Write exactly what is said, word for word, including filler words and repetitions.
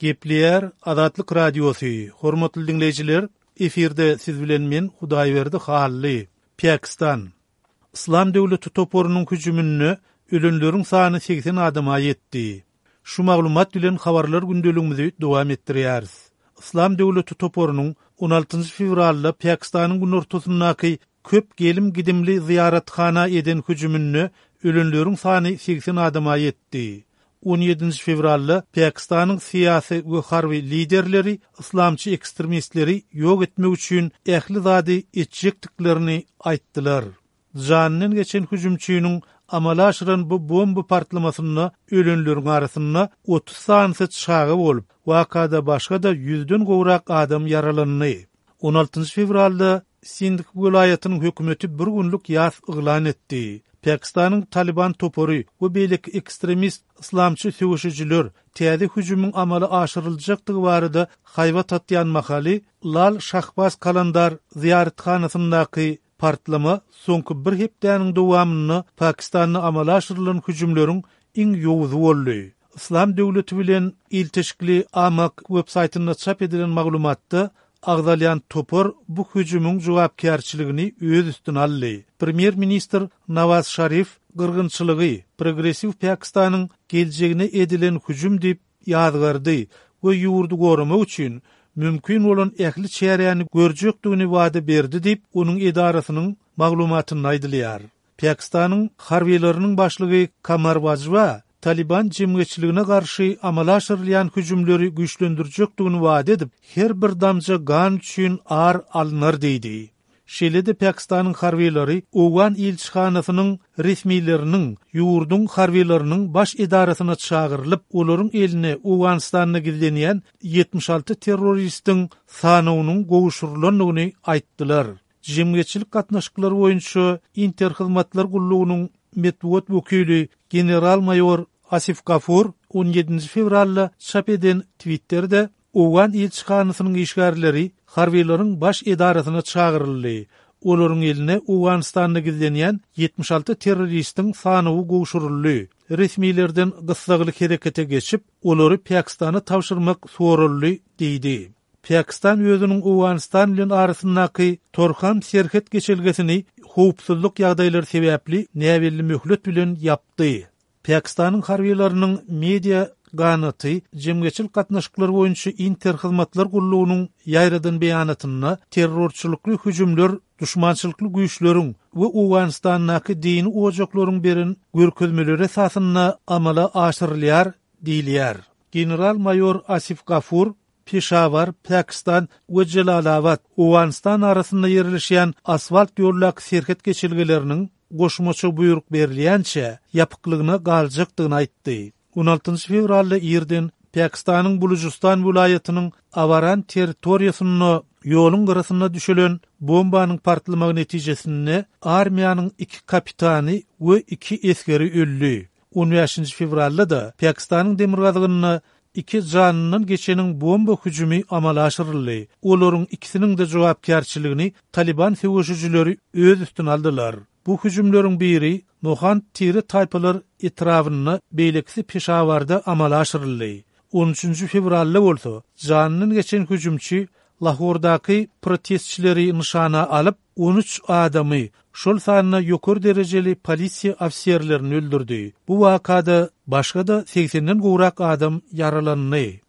Gepleýär Azatlyk Radiosy. Hormatly diňleýjiler, efirde siz bilen men Hudaýberdi Hally. Pakistan. Yslam döwleti toparynyň hüjüminde ölenleriň sany segsen adama ýetdi. Şu maglumat bilen habarlar gündeligimizi dowam etdirýäris. Yslam döwleti toparynyň on altynjy fewralda Pakistanyň günortasyndaky köp gelim-gidimli zyýarathana eden hüjüminde ölenleriň sany segsen adama ýetdi. On ýedinji fewralda Pakistanyň syýasy we harby liderleri yslamçy ekstremistleri ýok etmek üçin ähli zady etjekdiklerini aýtdylar. Janyndan geçen hüjümçiniň amala aşyran bu bomba partlamasynda ölenleriň arasynda otuz sanysy çaga bolup, wakada başga-da ýüzden gowrak adam ýaralandy. On altynjy fewralda Sindh welaýatynyň hökümeti bir günlük ýas yglan etdi. Pakistanyň Taliban topary we beýleki ekstremist yslamçy söweşijiler täze hüjümiň amala aşyryljakdygy barada haýbat atýan mahaly Lal Şahbaz Kalandar zyýarathanasyndaky partlama soňky bir hepdäniň dowamynda Pakistanda amala aşyrylan hüjümleriň iň ýowuzy boldy. Yslam döwleti bilen ilteşikli Amaq web-saýtynda çap edilen maglumatda agzalýan topar bu hüjümiň jogapkärçiligini öz üstüne aldy. Premýer-ministr Nawaz Şarif gyrgynçylygy progressiw Pakistanyň geljegine edilen hüjüm diýip ýazgardy we ýurdy goramak üçin mümkin bolan ähli çäräni görjekdigini wada berdi diýip, onuň edarasynyň maglumatynda aýdylýar. Pakistanyň harbylarynyň başlygy Kamar Bajwa Taliban jemgyýetçiligine garşy amala aşyrylýan hüjümleri güýçlendirjekdigini wada edip, her bir damja gan üçin ar alynar diýdi. Şeýle-de Pakistanyň harbylary Owgan ilçihanasynyň resmileriniň ýurduň harbylarynyň baş edarasyna çagyrylyp, olaryň eline Owganystanda gizlenýän ýetmiş alty terroristiň sanawynyň gowşurylandygyny aýtdylar. Jemgyýetçilik gatnaşyklary boýunça Interhyzmatlar gullugynyň metbugat wekili general-maýor Asif Gafur on ýedinji fewralda çap eden Twitterde Owgan ilçihanasynyň işgärleri harbylaryň baş edarasyna çagyryldy. Olaryň eline Owganystanda gizlenýän ýetmiş alty terroristiň sanawy gowşuryldy. Resmilerden gyssagly herekete geçip, olary Pakistana tabşyrmak soraldy diýdi. Pakistan özüniň Owganystan bilen arasyndaky Torham serhet geçelgesini howpsuzlyk ýagdaýlary sebäpli näbelli möhlet bilen ýapdy. Pakistanyň harbylarynyň media ganaty jemgyýetçilik gatnaşyklary boýunça Interhyzmatlar gullugynyň ýaýradan beýanatynda terrorçylykly hüjümler duşmançylykly güýçleriň we Owganystandaky dini ojaklaryň beren görkezmeleri esasynda amala aşyrylýar diýilýär. General-maýor Asif Gafur Peşawar, Pakistan we Jelalabad, Owganystan arasynda ýerleşýän asfalt ýoldaky serhet geçelgeleriniň goşmaça buýruk berilýänçä ýapyklygyna galjakdygyny aýtdy. On altynjy fewralda irden Pakistanyň Bulujystan welaýatynyň Awaran territoriýasynda ýoluň gyrasynda düşülen bombanyň partlamagy netijesinde armiýanyň iki kapitany we iki esgeri öldi. On bäşinji fewralda da Pakistanyň demirgazygynda iki janyndan geçeniň bomba hüjümi amala aşyryldy. Olaryň ikisiniň de jogapkärçiligini Taliban söweşijileri öz üstüne aldylar. Bu hüjümleriň biri Mohand Tire taýpalar etrabynda, beýlekisi Peşawarda amala aşyryldy. On üçünji fewralda bolsa janyndan geçen hüjümçi Lahordaky protestçileri nyşana alyp, on üç adamy, şol sanda ýokary derejeli polisiýa ofiserlerini öldürdi. Bu wakada başga-da segsenden gowrak adam ýaralandy.